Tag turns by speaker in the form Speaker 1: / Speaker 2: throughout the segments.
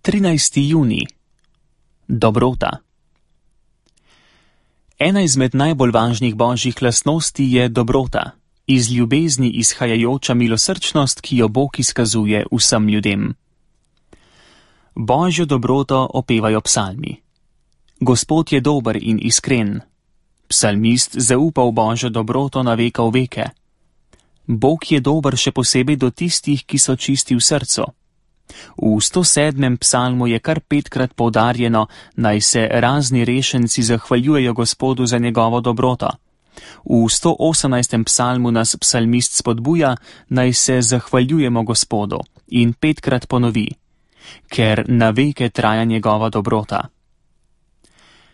Speaker 1: 13. junij. Dobrota. Ena izmed najbolj važnih božjih lastnosti je dobrota, iz ljubezni izhajajoča milosrčnost, ki jo Bog izkazuje vsem ljudem. Božjo dobroto opevajo psalmi. Gospod je dober in iskren. Psalmist zaupa v Božjo dobroto na veka v veke. Bog je dober še posebej do tistih, ki so čisti v srcu. V 107. psalmu je kar 5-krat poudarjeno, naj se razni rešenci zahvaljujejo Gospodu za njegovo dobroto. V 118. psalmu nas psalmist spodbuja, naj se zahvaljujemo Gospodu in 5-krat ponovi, ker na veke traja njegova dobrota.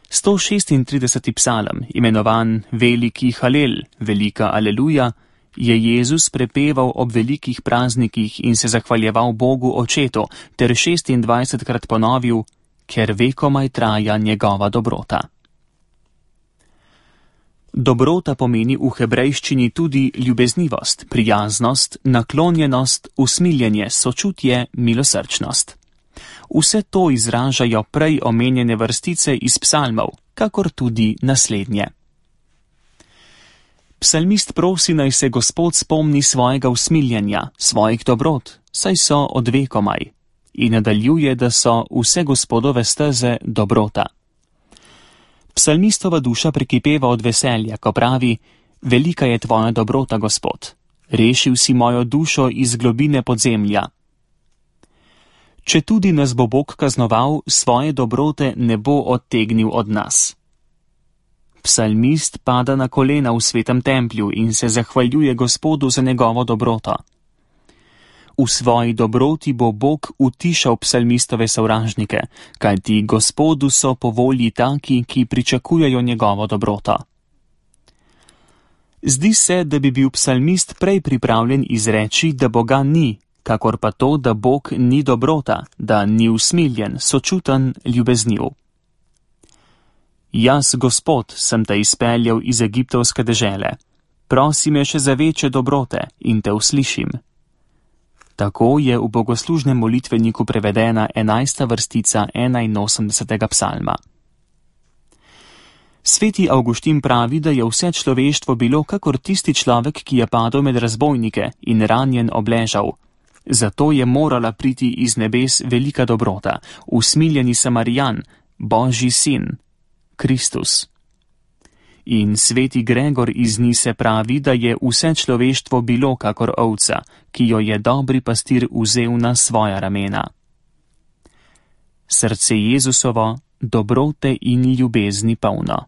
Speaker 1: 136. psalm, imenovan Veliki Halel, Velika Aleluja, je Jezus prepeval ob velikih praznikih in se zahvaljeval Bogu Očetu, ter 26-krat ponovil, ker vekomaj traja njegova dobrota. Dobrota pomeni v hebrejščini tudi ljubeznivost, prijaznost, naklonjenost, usmiljenje, sočutje, milosrčnost. Vse to izražajo prej omenjene vrstice iz psalmov, kakor tudi naslednje. Psalmist prosi, naj se Gospod spomni svojega usmiljenja, svojih dobrot, saj so od vekomaj, in nadaljuje, da so vse Gospodove steze dobrota. Psalmistova duša prekipeva od veselja, ko pravi: velika je tvoja dobrota, Gospod, rešil si mojo dušo iz globine podzemlja. Če tudi nas bo Bog kaznoval, svoje dobrote ne bo odtegnil od nas. Psalmist pada na kolena v svetem templju in se zahvaljuje Gospodu za njegovo dobroto. V svoji dobroti bo Bog utišal psalmistove sovražnike, kajti Gospodu so po volji taki, ki pričakujejo njegovo dobroto. Zdi se, da bi bil psalmist prej pripravljen izreči, da Boga ni, kakor pa to, da Bog ni dobrota, da ni usmiljen, sočuten, ljubezniv. Jaz, Gospod, sem te izpeljal iz egiptovske dežele. Prosi me še za večje dobrote in te uslišim. Tako je v bogoslužnem molitveniku prevedena 11. vrstica 81. psalma. Sveti Avguštin pravi, da je vse človeštvo bilo kakor tisti človek, ki je padel med razbojnike in ranjen obležal. Zato je morala priti iz nebes velika dobrota, usmiljeni Samarijan, Božji sin, Kristus. In sveti Gregor iz Nise pravi, da je vse človeštvo bilo kakor ovca, ki jo je dobri pastir vzel na svoja ramena. Srce Jezusovo, dobrote in ljubezni polno.